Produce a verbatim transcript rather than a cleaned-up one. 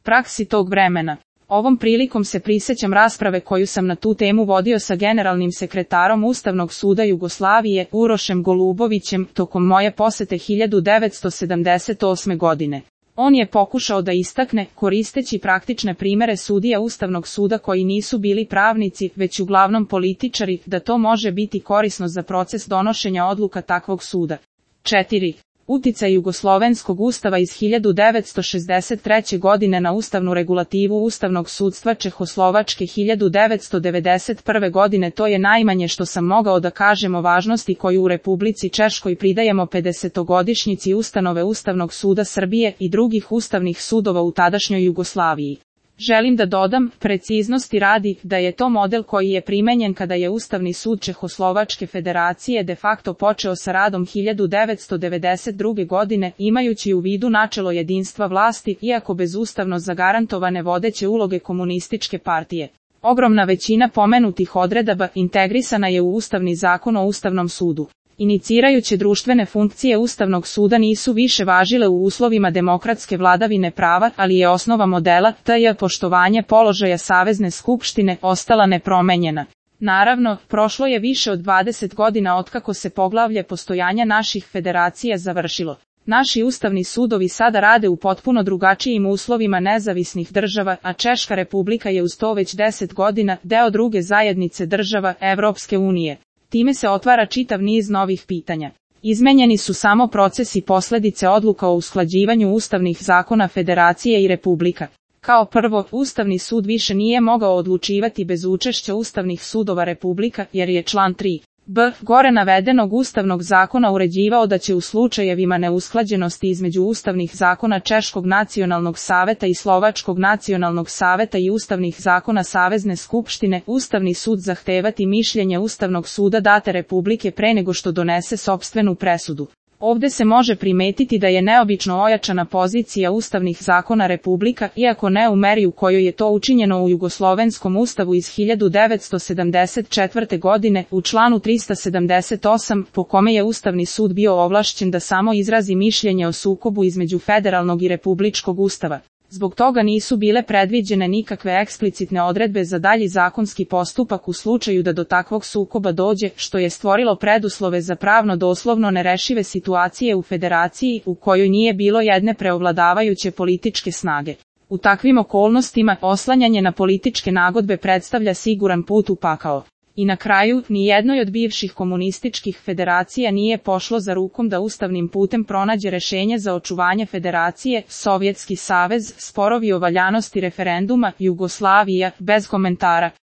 praksi tog vremena. Ovom prilikom se prisećam rasprave koju sam na tu temu vodio sa generalnim sekretarom Ustavnog suda Jugoslavije, Urošem Golubovićem, tokom moje posete hiljadu devetsto sedamdeset osme. godine. On je pokušao da istakne, koristeći praktične primere sudija Ustavnog suda koji nisu bili pravnici, već uglavnom političari, da to može biti korisno za proces donošenja odluka takvog suda. četiri. Uticaj Jugoslovenskog ustava iz hiljadu devetsto šezdeset treće. godine na ustavnu regulativu Ustavnog sudstva Čehoslovačke hiljadu devetsto devedeset prve. godine. To je najmanje što sam mogao da kažem o važnosti koju u Republici Češkoj pridajemo pedesetogodišnjici ustanove Ustavnog suda Srbije i drugih ustavnih sudova u tadašnjoj Jugoslaviji. Želim da dodam, preciznosti radi, da je to model koji je primenjen kada je Ustavni sud Čehoslovačke federacije de facto počeo sa radom hiljadu devetsto devedeset druge. godine, imajući u vidu načelo jedinstva vlasti, iako bez ustavno zagarantovane vodeće uloge komunističke partije. Ogromna većina pomenutih odredaba integrisana je u Ustavni zakon o Ustavnom sudu. Inicirajuće društvene funkcije Ustavnog suda nisu više važile u uslovima demokratske vladavine prava, ali je osnova modela, to je poštovanje položaja Savezne skupštine, ostala nepromenjena. Naravno, prošlo je više od dvadeset godina otkako se poglavlje postojanja naših federacija završilo. Naši ustavni sudovi sada rade u potpuno drugačijim uslovima nezavisnih država, a Češka republika je uz to već deset godina deo druge zajednice država Evropske unije. Time se otvara čitav niz novih pitanja. Izmenjeni su samo procesi posledice odluka o usklađivanju ustavnih zakona federacije i republika. Kao prvo, Ustavni sud više nije mogao odlučivati bez učešća ustavnih sudova republika, jer je član tri b gore navedenog ustavnog zakona uređivao da će u slučajevima neusklađenosti između ustavnih zakona Češkog nacionalnog saveta i Slovačkog nacionalnog saveta i ustavnih zakona Savezne skupštine, Ustavni sud zahtevati mišljenje Ustavnog suda date republike pre nego što donese sopstvenu presudu. Ovde se može primetiti da je neobično ojačana pozicija ustavnih zakona republika, iako ne u meri u kojoj je to učinjeno u Jugoslovenskom ustavu iz hiljadu devetsto sedamdeset četvrte. godine, u članu trista sedamdeset osam, po kome je Ustavni sud bio ovlašćen da samo izrazi mišljenje o sukobu između federalnog i republičkog ustava. Zbog toga nisu bile predviđene nikakve eksplicitne odredbe za dalji zakonski postupak u slučaju da do takvog sukoba dođe, što je stvorilo preduslove za pravno doslovno nerešive situacije u federaciji u kojoj nije bilo jedne preovladavajuće političke snage. U takvim okolnostima, oslanjanje na političke nagodbe predstavlja siguran put u pakao. I na kraju, ni jednoj od bivših komunističkih federacija nije pošlo za rukom da ustavnim putem pronađe rešenje za očuvanje federacije, Sovjetski savez, sporovi o valjanosti referenduma, Jugoslavija, bez komentara.